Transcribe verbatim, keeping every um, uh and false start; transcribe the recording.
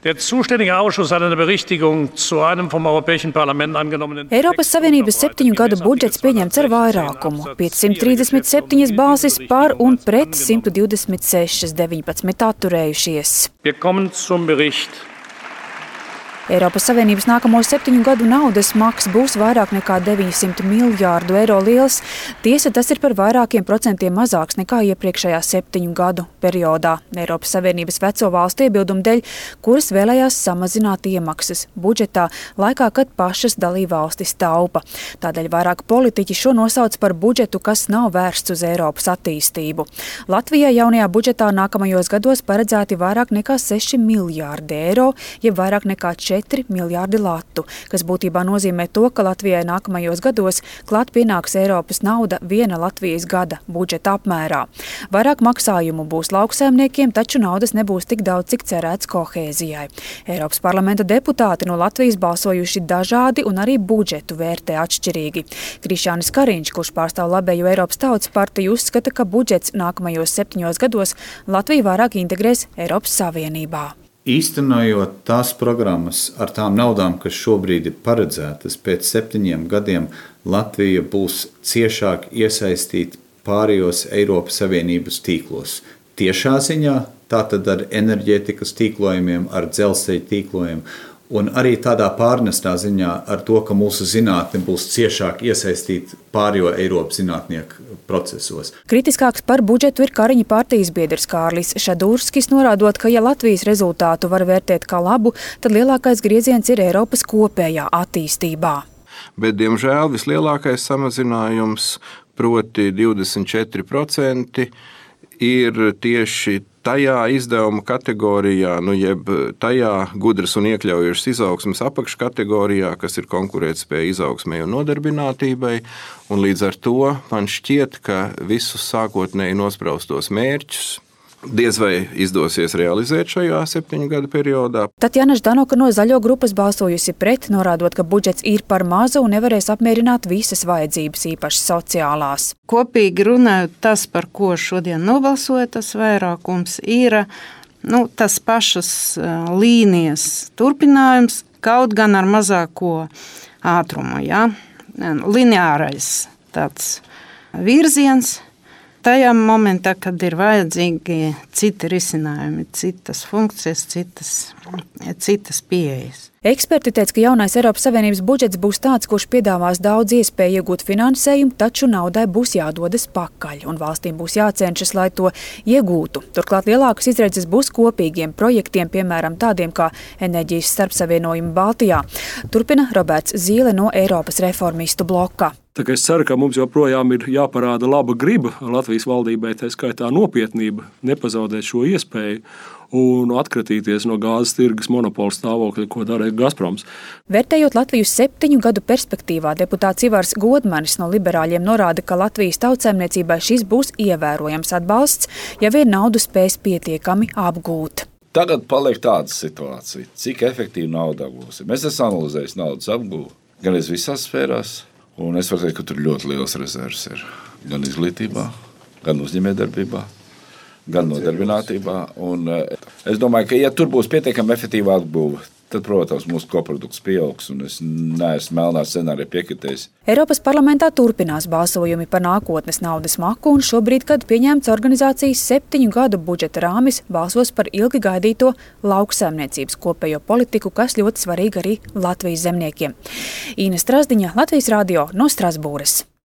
Der zuständige Ausschuss hat eine Berichtigung zu einem vom Europäischen Parlament angenommenen. Eiropas Savienības septiņu gadu budžets pieņemts ar vairākumu - piecsimt trīsdesmit septiņas balsis par un pret simt divdesmit sešas, deviņpadsmit atturējušies. Wir kommen zum Bericht. Eiropas Savienības nākamo septiņu gadu naudas maks būs vairāk nekā deviņsimt miljārdu eiro liels. Tiesa, tas ir par vairākiem procentiem mazāks nekā iepriekšējā septiņu gadu periodā. Eiropas Savienības veco valstu iebildumu dēļ, kuras vēlējās samazināt iemaksas budžetā, laikā, kad pašas dalībvalstis taupa. Tādēļ vairāk politiķi šo nosauc par budžetu, kas nav vērsts uz Eiropas attīstību. Latvijai jaunajā budžetā nākamajos gados paredzēti vairāk nekā seši miljārdi eiro, jeb vairāk nekā četri miljārdi latu, kas būtībā nozīmē to, ka Latvijai nākamajos gados klāt pienāks Eiropas nauda viena Latvijas gada budžeta apmērā. Vairāk maksājumu būs lauksaimniekiem, taču naudas nebūs tik daudz, cik cerēts kohēzijai. Eiropas parlamenta deputāti no Latvijas balsojuši dažādi un arī budžetu vērtē atšķirīgi. Krišjānis Kariņš, kurš pārstāv labējo Eiropas Tautas partiju, uzskata, ka budžets nākamajos septiņos gados Latviju vairāk integrēs Eiropas Savienībā. Īstenojot tās programmas ar tām naudām, kas šobrīd ir paredzētas, pēc septiņiem gadiem Latvija būs ciešāk iesaistīta pārējos Eiropas Savienības tīklos. Tiešā ziņā, tātad ar enerģētikas tīklojumiem, ar dzelzceļa tīklojumiem, un arī tādā pārnestā ziņā ar to, ka mūsu zinātne būs ciešāk iesaistīta pārējo Eiropas zinātnieku procesos. Kritiskāks par budžetu ir Kariņa partijas biedrs Kārlis Šadurskis, norādot, ka ja Latvijas rezultātu var vērtēt kā labu, tad lielākais grieziens ir Eiropas kopējā attīstībā. Bet, diemžēl, vislielākais samazinājums, proti divdesmit četri procenti, ir tieši tajā izdevuma kategorijā, nu jeb tajā gudras un iekļaujošas izaugsmes apakškategorijā, kas ir konkurētspēja izaugsmei un nodarbinātībai, un līdz ar to man šķiet, ka visus sākotnēji nospraustos mērķus diez vai izdosies realizēt šajā septiņu gadu periodā. Tatjana Ždanoka no Zaļo grupas balsojusi pret, norādot, ka budžets ir par mazu un nevarēs apmierināt visas vajadzības, īpaši sociālās. Kopīgi runājot, tas, par ko šodien nobalsoja tas vairākums, ir nu, tas pašas līnijas turpinājums, kaut gan ar mazāko ātrumu. Ja? Lineārais tāds virziens. Tajā momentā, kad ir vajadzīgi citi risinājumi, citas funkcijas, citas, citas pieejas. Eksperti teica, ka jaunais Eiropas Savienības budžets būs tāds, kurš piedāvās daudz iespēju iegūt finansējumu, taču naudai būs jādodas pakaļ, un valstīm būs jācenšas, lai to iegūtu. Turklāt lielākas izredzes būs kopīgiem projektiem, piemēram tādiem kā enerģijas starpsavienojumi Baltijā. Turpina Roberts Zīle no Eiropas reformistu bloka. Tā kā es ceru, ka mums joprojām ir jāparāda laba griba Latvijas valdībai, tā skaitā nopietnība, nepazaudēt šo iespēju un atkratīties no gāzes tirgus monopola stāvokļa, ko dara Gazproms. Vērtējot Latviju septiņu gadu perspektīvā, deputāts Ivars Godmanis no liberāļiem norāda, ka Latvijas tautsēmniecībai šis būs ievērojams atbalsts, ja vien naudu spēs pietiekami apgūt. Tagad paliek tāda situācija, cik efektīvi nauda apgūs. Mēs esam analizējuši naudas apgūvu gan es visās sfērās, un es varu teikt, ka tur ļoti liels rezervs ir gan izglītībā, gan uzņēmējdarbībā, gan nodarbinātībā. Un es domāju, ka ja tur būs pietiekami efektīva atbūve, tad, protams, mūsu koprodukts pieaugs, un es neesmu melnā scenārija piekritējis. Eiropas parlamentā turpinās balsojumi par nākotnes naudas maku, un šobrīd, kad pieņemts organizācijas septiņu gadu budžeta rāmis, balsos par ilgi gaidīto lauksaimniecības kopējo politiku, kas ļoti svarīga arī Latvijas zemniekiem. Īne Strazdiņa, Latvijas radio no Strasbūras.